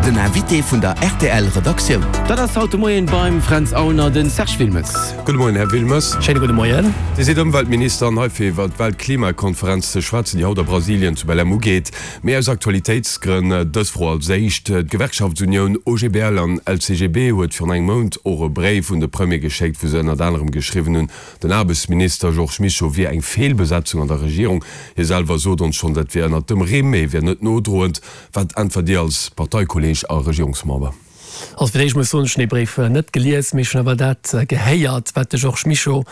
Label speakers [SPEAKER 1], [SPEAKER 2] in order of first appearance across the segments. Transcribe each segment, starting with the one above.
[SPEAKER 1] Den Invité vun der rtl Redaktioun.
[SPEAKER 2] Dat ass haut de Moien beim Fränz Aulner den Serge Wilmes.
[SPEAKER 3] Gudde Moien, Här Wilmes.
[SPEAKER 2] Schéine gudde Moien.
[SPEAKER 3] Dir sidd Ëmweltminister an hei fir iwwer d'Weltklimakonferenz ze schwätzen, déi haut a Brasilien zu Belém ugeet. Mee aus Aktualitéitsgrënn dës Fro als éischt. D'Gewerkschaftsunioun OGBL an LCGB huet virun engem Mount och e Bréif un de Premier geschéckt, wou se ënnert anerem geschriwwen hunn, Den Aarbechtsminister Georges Mischo wier eng Feelbesetzung an der Regierung. Hie selwer sot ons schonn, dat wier ënnert dem Rimm, mee wier net nodroend. Wat äntwert Dir als Parteikolleeg a Regierungsmember?
[SPEAKER 4] Also fir d'éischt muss ech soen, ech hunn dee Bréif net gelies, mee ech hunn awer dat gehéiert, wat de Georges Mischo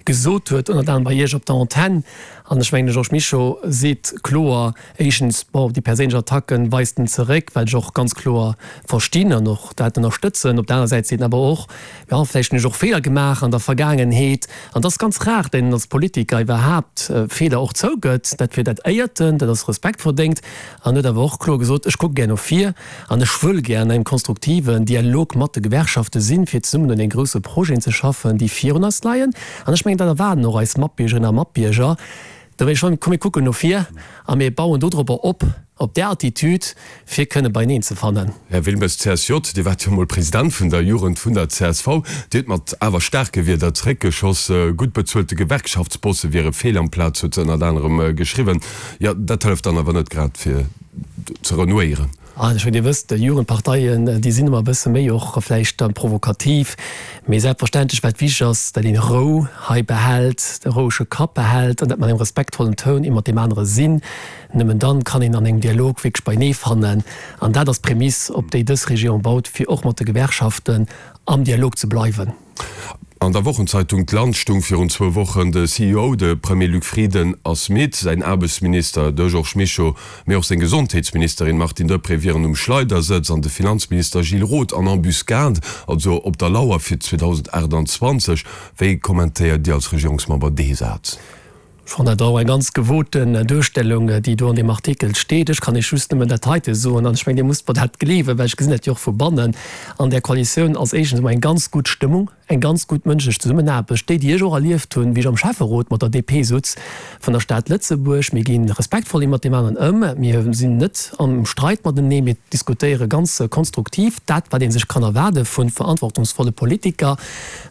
[SPEAKER 4] gesot huet, ënnert anerem bei Iech op der Antenn. An ech mengen, de Georges Mischo seet kloer, éischtens, bon, déi perséinlech Attacken weist en zeréck, wat ech och ganz kloer verstinn an och dat ënnerstëtzen. Op der aner Säit seet en awer och, jo, vläicht hunn ech och Feeler gemaach an der Vergaangenheet. An et ass ganz rar, datt een als Politiker iwwerhaapt Feeler och zougëtt. Dat fir dat éiert en, dat ass Respekt verdéngt. An huet awer och kloer gesot, Ech kucke gär no vir an ech wëll gär an engem konstruktiven Dialog mat de Gewerkschafte sinn, fir zesummen un deene grousse Projeten ze schaffen, déi virun eis leien. An ech mengen, dat erwaarden och eis Matbiergerinnen a Matbierger. Da wéi schonn, komm mir kucken no vir a mir bauen dodropper op, op där Attitude, fir kënne beieneen ze fannen.
[SPEAKER 3] Här Wilmes, CSJ, Dir waart jo emol President vun der Jugend vun der csv. Dir hutt mat awer staarke Wierder zeréckgeschoss. Gutt bezuelte Gewerkschaftsbosse wiere fehl am Plaz, huet se ënnert anerem geschriwwen. Jo, dat hëlleft dann awer net grad fir ze renouéieren.
[SPEAKER 4] An ech mengen, Dir wësst, Jugendparteien, déi sinn ëmmer e bësse méi och vläicht provokativ. Mee selbstverständlech, wat wichteg ass, datt een Rou hei behält, de rouege Kapp behält an dat mat engem respektvollen Toun ee mat deem anere sinn. Nëmmen dann kann een an engem Dialog wierklech beinee fannen. An dat ass d'Prämiss, op déi dës Regierung baut, fir och mat de Gewerkschaften am Dialog ze bleiwen.
[SPEAKER 3] An der Wochenzeitung d'Land stung virun zwou Wochen, de CEO, de Premier Luc Frieden ass midd, säin Aarbechtsminister, de Georges Mischo, mee och seng Gesondheetsministerin Martine Deprez wieren um Schleidersëtz an de Finanzminister Gilles Roth en embuscade, also op der Lauer fir 2028. Wéi kommentéiert Dir als Regierungsmember dee Saz?
[SPEAKER 4] Ech fannen dat och eng ganz gewoten Duerstellung, déi do an deem Artikel steet. Ech kann Iech just nëmmen dat heite soen, an ech mengen, Dir musst mer dat gleewen, well ech gesinn dat jo och vu bannen. An där Koalitioun ass éischtens emol eng ganz gutt Stëmmung, eng ganz gutt mënschlech Zesummenaarbecht, déi, déi ech och erlieft hunn, wéi ech am Schäfferot mat der DP sutz vun der Stad Lëtzebuerg. Mir gi respektvoll ee mat deem aneren ëm, mir sinn net am Streit matenee, mir diskutéiere ganz konstruktiv dat, wat ee sech kann erwaarde vu verantwortungsvolle Politiker.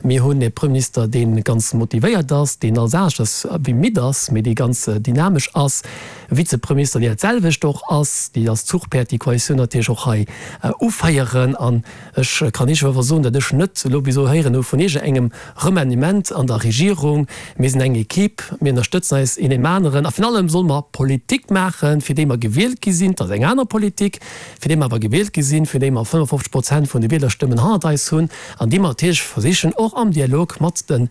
[SPEAKER 4] Mir hunn e Premierminister, dee ganz motivéiert ass, deen alles aneschters wéi midd ass, mee dee ganz dynamesch ass, e Vizepremierminister, dee dat selwecht och ass, déi als Zuchpäerd déi Koalitioun natierlech och hei uféieren. An ech kann Iech awer soen, datt ech net elo bis elo héieren hu vun iergendengem Remaniement an der Regierung. Mir sinn eng Equipe, mir ënnerstëtzen eis een deem aneren a virun allem solle mer Politik maachen, fir déi mer gewielt gi sinn. Dat ass eng aner Politik, fir déi mer awer gewielt gi sinn, fir déi mer 55 Prozent vun de Wielerstëmmen hannert eis hunn an déi mer natierlech versichen och am Dialog mat de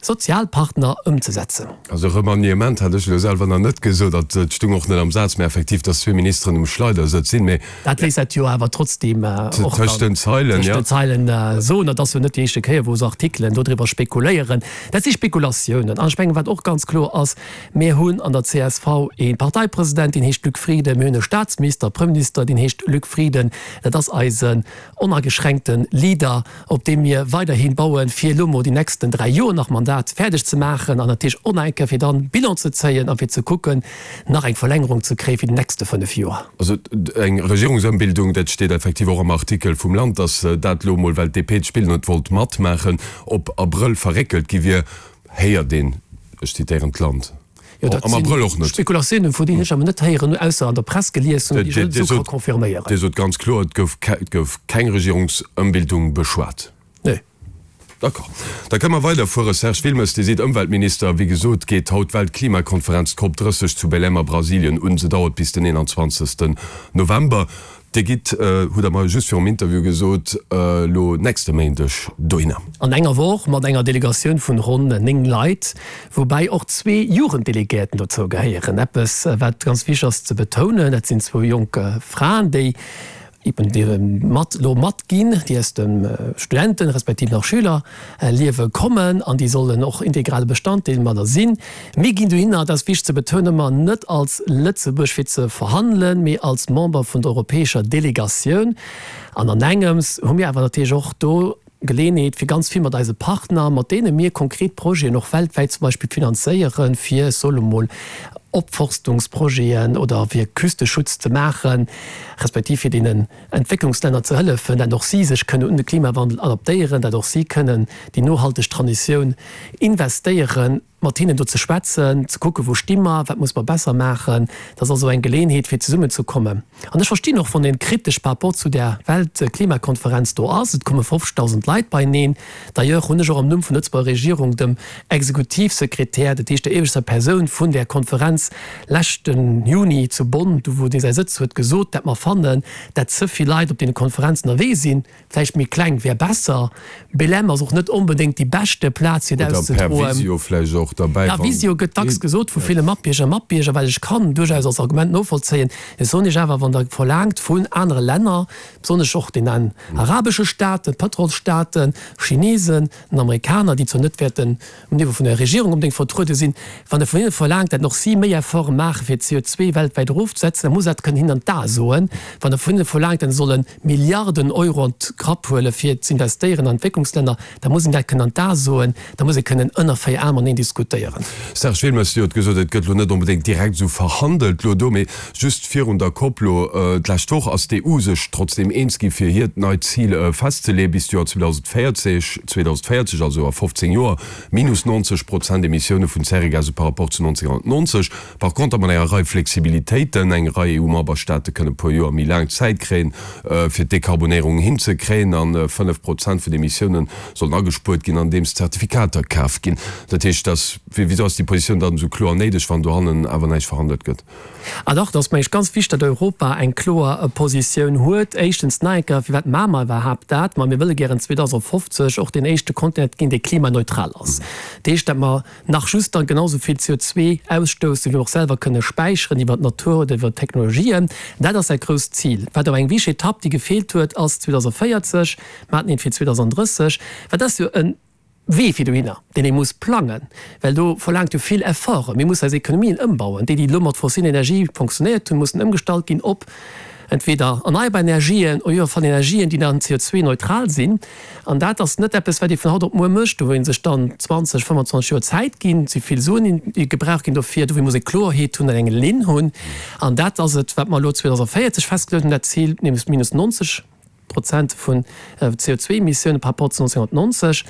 [SPEAKER 4] Sozialpartner ëmzesetzen.
[SPEAKER 3] Also Remaniement hat ech elo selwer nach net gesot, dat stung och net am Saz, mä effektiv, datt zwee Ministeren um Schleidersëtz sinn, mä.
[SPEAKER 4] Dat léisst dat jo awer trotzdeem och
[SPEAKER 3] dann tëscht den Zeilen,
[SPEAKER 4] tëscht den Zeilen soen. Dat ass jo net déi éischte Kéier, wou esou Artikelen dodriwwer spekuléieren. Dat si Spekulatiounen. An ech mengen, wat och ganz kloer ass, Mir hunn an der csv ee Parteipresident, deen heescht Luc Frieden. Mir hunn e Staatsminister, Premierminister, deen heescht Luc Frieden. Dat ass eisen onageschränkte Leader, op deem mir weiderhi bauen, fir elo mol déi nächsten 3 Joer nach Mandat fäerdeg ze maachen an natierlech och nach eng Kéier fir dann Bilan ze zéien a fir ze kucken, nach eng Verlängerung ze kréie fir déi nächste 5 Joer.
[SPEAKER 3] Also eng Regierungsëmbildung, dat steet effektiv och am Artikel vum Land, datt dat elo mol, well d'DP d'Spill net wollt matmaachen, op Abrëll verréckelt gi wier. Héiert een, ech zitéieren d'Land,
[SPEAKER 4] Jo, dat
[SPEAKER 3] am Abrëll och
[SPEAKER 4] sinn
[SPEAKER 3] net.
[SPEAKER 4] Spekulatiounen, vu deenen ech awer net héieren hunn, ausser an der Press gelies hunn, déi ech net esou ka confirméieren.
[SPEAKER 3] Dir sot ganz kloer, et gouf, et gouf keng Regierungsëmbildung beschwat.
[SPEAKER 4] Nee.
[SPEAKER 3] D'accord. Da kënne mer weiderfuere. Serge Wilmes, Dir sidd Ëmweltminister. Wéi gesot geet haut d'Weltklimakonferenz, d'COP 30, zu Belém a Brasilien un. Se dauert bis den 21. November. Dir gitt, hutt Der mer just virum Interview gesot, elo nächste Méindeg dohinner.
[SPEAKER 4] An enger Woch mat enger Delegatioun vun ronn 9 Leit, woubäi och zwee Jugenddelegéierten dozou gehéieren. Eppes, wat ganz wichteg ass ze betounen, dat sinn zwou jonk Fraen, déi eben mat elo matginn, déi aus dem Studenten respektiv nach Schülerliewe kommen an déi sollen och integrale Bestanddeel mat sinn. Mir ginn dohinner, dat ass wichteg ze betounen, ëmmer net als Lëtzebuerg fir ze verhandelen, mee als Member vun der europäescher Delegatioun. An an engems hu mir awer natierlech och do. Geleenheet, fir ganz vill mat eise Partner, mat deene mir konkret Projeten och weltwäit zum Beispill finanzéieren, fir, ech soe mol, Opforstungsprojeten oder fir Küsteschutz ze maachen, respektiv fir deenen Entwécklungslänner ze hëllefen, dat och si sech kënnen un de Klimawandel adaptéieren, dat och si kënnen déi nohalteg Transitioun investéieren. Mat hinnen do ze schwätzen, ze kucken, wou sti mer, wat muss mer besser maachen. Dat ass also eng Geleenheet, fir zesummenzekommen. An ech verstinn och, wann ee kritesch par rapport zu där Weltklimakonferenz do ass. Et komme 50.000 Leit beieneen. D'ailleurs hunn ech och am Numm vun der Lëtzebuerger Regierung dem Exekutivsekretär, dat heescht der ieweschter Persoun vun där Konferenz, leschte Juni zu Bonn, do wou dee säi Sëtz huet, gesot, dat mer fannen, dat ze vill Leit op deene Konferenzen ënnerwee sinn. Vläicht méi kleng wär besser. Belém ass och net onbedéngt déi beschte Plaz fir et
[SPEAKER 3] Oder per
[SPEAKER 4] auszedroen.
[SPEAKER 3] Visio vläicht och derbäi,
[SPEAKER 4] Ja,
[SPEAKER 3] wann
[SPEAKER 4] Visio gëtt dacks gesot vu ville Matbierger a Matbierger, wat ech kann duerchaus als Argument novollzéien. Ech soen Iech awer, wann Der verlaangt vun anere Länner, besonnesch och den arabesche Staaten, Pëtrolsstaaten, Chinesen, den Amerikaner, déi zwar net wäerten um Niveau vun der Regierung onbedéngt vertruede sinn, wann Der vun hinne verlaangt, datt och si méi Efforte maache fir d'CO2 weltwäit erofzesetzen, da muss dat kënnen hinnen an d'Ae soen. Wann Der vun hinne verlaangt, datt se solle Milliarden Euro an d'Grapp huele fir z'investéieren an Entwécklungslänner, da muss een dat kënnen an d'Ae soen, da muss ee kënnen ënner 4 Aen mateneen diskutéieren.
[SPEAKER 3] Serge Wilmes, Dir hutt gesot, et gëtt elo net onbedéngt direkt esou verhandelt elo do, mee just virun der Cop elo d'lescht Woch ass d'EU sech trotzdeem eens gi fir hiert neit Zil festzeleeë bis d'Joer 2040, 2040, also a 15 Joer, minus 90 Prozent Emissioune vun Zäregase par rapport zu 1990. Par conter mat enger Rei Flexibilitéiten, eng Rei EU-Memberstaate kënne e puer Joer méi laang Zäit kréien, fir d'Dekarbonéierung hinzekréien, a 5 Prozent vun de Emissioune sollen agespuert ginn, andeems Zertifikater kaf ginn. Dat heescht, dass, wisou ass déi Positioun dann esou kloer néideg, wann dohannen awer näischt verhandelt gëtt?
[SPEAKER 4] Ah dach, et ass mengen ech ganz wichteg, datt Europa eng kloer Positioun huet. Éischtens, nach eng Kéier, firwat maache mer iwwerhaapt dat? Ma mir wëlle gären 2050 och deen éischte Kontinent ginn, dee klimaneutral ass. Dat heescht, datt mer nach just dann genau esou vill CO2 ausstoussen, wéi mer och selwer kënne späicheren iwwer d'Natur oder iwwer d'Technologien. Dat ass dat grousst Zil. Wat awer eng wichteg Etapp, déi gefeelt huet, ass 2040. Mer haten eent fir 2030. Wat ass jo e Wee fir dohinner, deen ee muss plangen, well do verlaangt jo vill Efforten. Mir mussen eis Ekonomien ëmbauen. Déi, déi elo mat fossilen Energie fonctionnéiert hunn, mussen ëmgestallt ginn op entweder erneierbar Energien oder van Energien, déi dann CO2-neutral sinn. An dat ass net eppes, wat ee vun haut op muer mécht, do wou ee sech dann 20, 25 Joer Zäit ginn. Et si vill Suen, déi gebraucht ginn dofir. Dofir muss ee Kloerheet hunn an eng Linn hunn. An dat ass et, wat mer elo 2040 festgeluecht hunn, dat Zil, nämlech minus 90 Prozent vun CO2-Emissiounen par rapport zu 1990.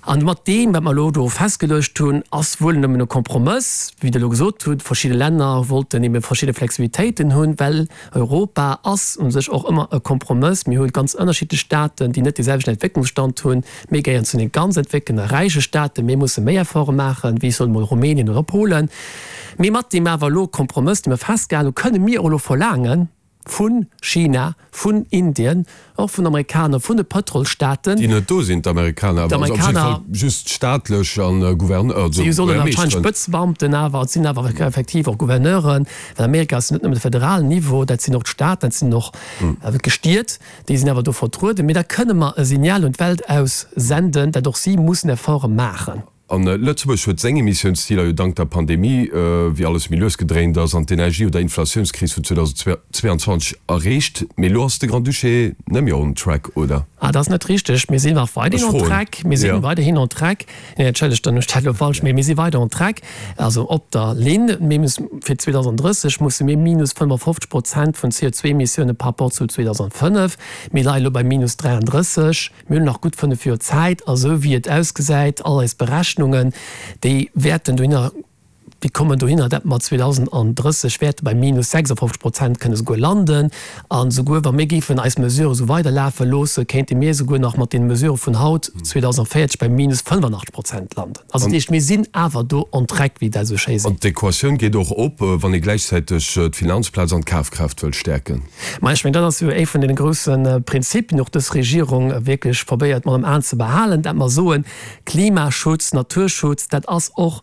[SPEAKER 4] An mat deem, wat mer elo do festgeluecht hunn, ass wuel nëmmen e Kompromëss, wéi Der elo gesot hutt. Verschidde Länner wollten ebe verschidde Flexibilitéiten hunn, well Europa ass u sech och ëmmer e Kompromëss. Mir hu ganz ënnerschiddlech Staaten, déi net dee selwechten Entwécklungsstand hunn. Mir gehéieren zu den ganz entwéckelten a räiche Staaten. Mir musse méi Efforte maachen, wéi, ech soen emol, Rumänien oder Polen. Mee mat deem awer elo Kompromëss, dee mer festgehalen hunn, kënne mir och elo verlaangen vu China, vun Indien, och vun Amerikaner, vun de Pëtrolsstaaten.
[SPEAKER 3] Déi net do sinn, d'Amerikaner, awer also op jidde Fall just staatlech an Gouverneur, also
[SPEAKER 4] Si sollen anscheinend Spëtzbeamten awer, et sinn awer effektiv och Gouverneuren, well Amerika ass net nëmmen de federalen Niveau, dat sinn och d'Staaten, dat sinn och d'Gestiet, déi sinn awer do vertrueden. Mee da kënne mer e Signal un d'Welt aus senden, dat och si mussen Efforte maachen.
[SPEAKER 3] A Lëtzebuerg huet seng Emissiounsziler jo dank der Pandemie, wéi alles méi lues gedréint ass, an d'Energie oder Inflatiounskris vun 2022 erreecht. Mee elo ass de Grand-Duché net méi on track, oder?
[SPEAKER 4] Ah, dat ass net richteg. Mir sinn nach weiderhin on track. Mir si weiderhin on track. Nee, entschëllegt, dann hunn ech dat elo falsch. Mee mir si weider on track, also op der Linn. Mir mussen fir 2030 musse mir minus 55 Prozent vun CO2-Emissioune par rapport zu 2005. Mir leie elo bei minus 33. Mir hunn nach gutt 5 Joer Zäit a sou wéi et ausgesäit, all eis Berechnungen, déi wäerten dohinner, déi kommen dohinner, dat mer 2030 wäerte bei minus 56 Prozent kënne souguer landen. A souguer wa mir géifen eis Mesurë sou weiderlafe loosse, kéinte mir souguer nach mat deene Mesurë vun haut 2040 bei minus 85 Prozent landen. Also dat heescht, mir sinn awer do on track, wéi dat esou schéi
[SPEAKER 3] seet. An d'Equatioun geet och op, wann ee gläichzäiteg d'Finanzplaz an d'Kafkraaft wëll stäerken.
[SPEAKER 4] Ma ech mengen, dat ass jo ee vun deene grousse Prinzipien, och dës Regierung wierklech probéiert mat am Aen ze behalen, dat mer soen, Klimaschutz, Naturschutz, dat ass och.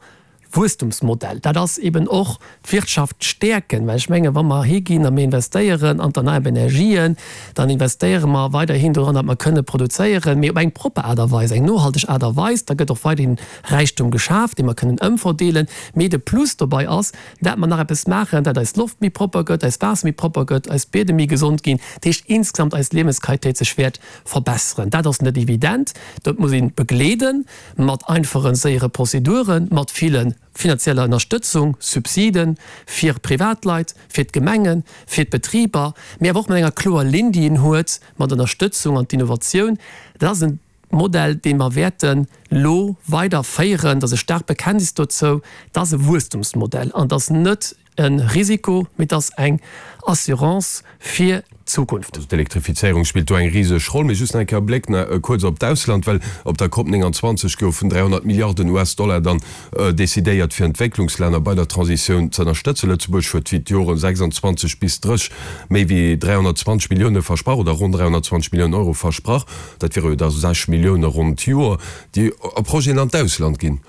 [SPEAKER 4] Wuesstumsmodell. Dat ass eben och d'Wirtschaft stäerken, well ech mengen, wa mer higinn a mir investéieren an d'erneierbar Energien, dann investéiere mer weiderhin doran, datt mer kënne produzéieren, mee op eng propper Aart a Weis, eng nohalteg Aart a Weis. Da gëtt och weiderhin Räichtum geschaf, dee mer kënnen ëmverdeelen. Mee de Plus dobei ass, dat mer nach eppes maachen, dat eis Loft méi propper gëtt, eist Waasser méi propper gëtt, eis Biedem méi gesond ginn, dat heescht insgesamt eis Liewensqualitéit sech wäert verbesseren. Dat ass net evident, dat muss ee begleeden mat einfachen, séiere Prozeduren, mat ville finanzieller Ënnerstëtzung, Subsiden fir Privatleit, fir d'Gemengen, fir d'Betriber, mee awer och mat enger kloer Linn, déi een huet, mat Ënnerstëtzung an d'Innovatioun. Dat ass e Modell, dee mer wäerten elo weider féieren. Dat ass e staarkt Bekenntnis dozou. Dat ass e Wuesstumsmodell an dat ass net e Risiko, mee dat ass eng Assurance fir d'Zukunft.
[SPEAKER 3] Also d'Elektrifizéierung spillt do eng riseg Roll. Mee just nach eng Kéier e Bléck nach kuerz op d'Ausland, well op der Cop 29 goufen 300 Milliarden US-Dollar dann decidéiert, fir Entwécklungslänner bei der Transitioun ze ënnerstëtzen. Lëtzebuerg huet fir d'Joren 26 bis 30 méi wéi 320 Millioune versprach, oder ronn 320 Milliounen Euro versprach. Dat wiere jo da 6 Millioune ronn d'Joer, déi a Projeten an d'Ausland ginn.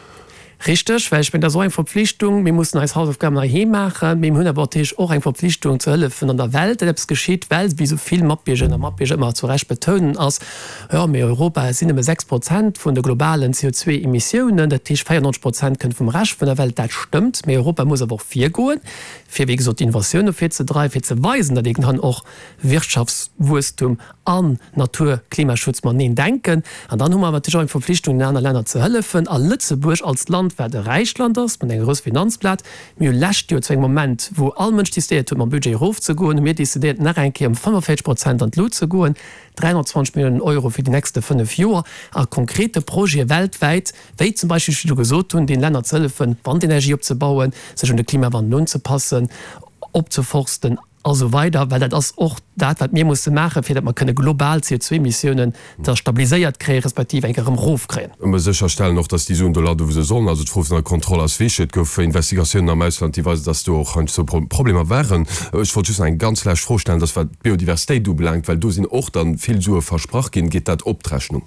[SPEAKER 4] Richteg, well ech mengen, dat ass och eng Verpflichtung. Mir mussen eis Hausaufgaben heiheem maachen, mee mir hunn awer natierlech och eng Verpflichtung ze hëllefen an der Welt, datt eppes geschitt, well, wéi esou vill Matbiergerinnen a Matbierger ëmmer zu Recht betounen, ass, jo, mee Europa, et sinn nëmme 6 Prozent vun de globalen CO2-Emissiounen, dat heescht 94 Prozent kënnt vum Rescht vun der Welt. Dat stëmmt, mee Europa muss awer och virgoen, fir, wéi gesot, d'Innovatioun no vir ze dreiwen, fir ze weisen, datt ee kann och Wirtschaftswuesstum an Natur, Klimaschutz mateneen denken. An dann hu mer awer natierlech och eng Verpflichtung, den aner Länner ze hëllefen. A Lëtzebuerg als Land, wat e räicht Land ass, mat enger grouss Finanzplaz, mir hu lescht Joer zu engem Moment, wou all Mënsch decidéiert huet, mam Budget erofzegoen, hu mir decidéiert, nach eng Kéier ëm 45 Prozent an d'Lut ze goen, 320 Milliounen Euro fir déi nächste fënnef Joer a konkrete Projete weltwäit, wéi zum Beispill, wéi ech virdru gesot hunn, den Länner ze hëllefen, Wandenergie opzebauen, sech un de Klimawandel unzepassen, opzeforsten. A sou weider, well dat ass och dat, wat mir musse maachen, fir datt mer kënne global d'CO2-Emissiounen da stabiliséiert kréien, respektiv eng Kéier erëm erofkréien.
[SPEAKER 3] Mer sécherstellen och, datt déi Suen do landen, wou se sollen. Also d'Fro vun der Kontroll ass wichteg. Et gouf Investigatiounen am Ausland, déi weisen, datt do och heiansdo Problemer waren. Ech wollt just nach eng ganz lescht Fro stellen, dass wat d'Biodiversitéit ubelaangt, well do sinn och da vill Sue versprach ginn, geet dat op d'Rechnung?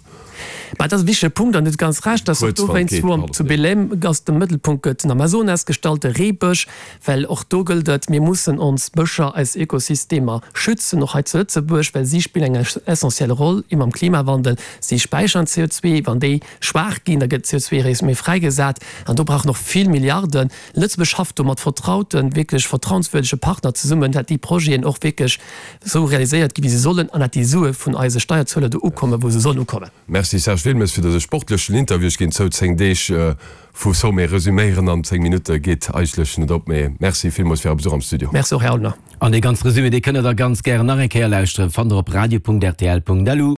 [SPEAKER 4] Mä dat ass e wichtege Punkt an Dir hutt ganz Recht, dass och dowéinst, wou am zu Belém ass, de Mëttelpunkt gëtt den Amazonas gestallt, de Reebësch, well och do gëllt et, mir mussen ons Bëscher, eis Ökosystemer schützen, och hei zu Lëtzebuerg, well si spillen eng essentiell Roll eben am Klimawandel. Si späichern CO2, wann déi schwaach ginn, da gëtt CO2 eréischt méi fräigesat an do brauch en och vill Milliarden. Lëtzebuerg schafft do mat vertrauten, wierklech vertrauenswürdege Partner zesummen, dat déi Projeten och wierklech esou realiséiert ginn, wéi se sollen, an dat déi Sue vun eise Steierzueler do ukommen, wou se sollen ukommen.
[SPEAKER 3] Merci Serge Wilmes fir dëse sportlechen Interview. Ech ginn zou, 10 Deeg vu Sommet resüméieren an 10 Minutte geet eigentlech net op, mee Merci villmools fir Är Besuch am Studio.
[SPEAKER 4] Merci och, Här Aulner.
[SPEAKER 2] An dee ganze Resumé, dee kënnt der da ganz gären nach eng Kéier lauschteren, fannt der op radio.rtl.lu.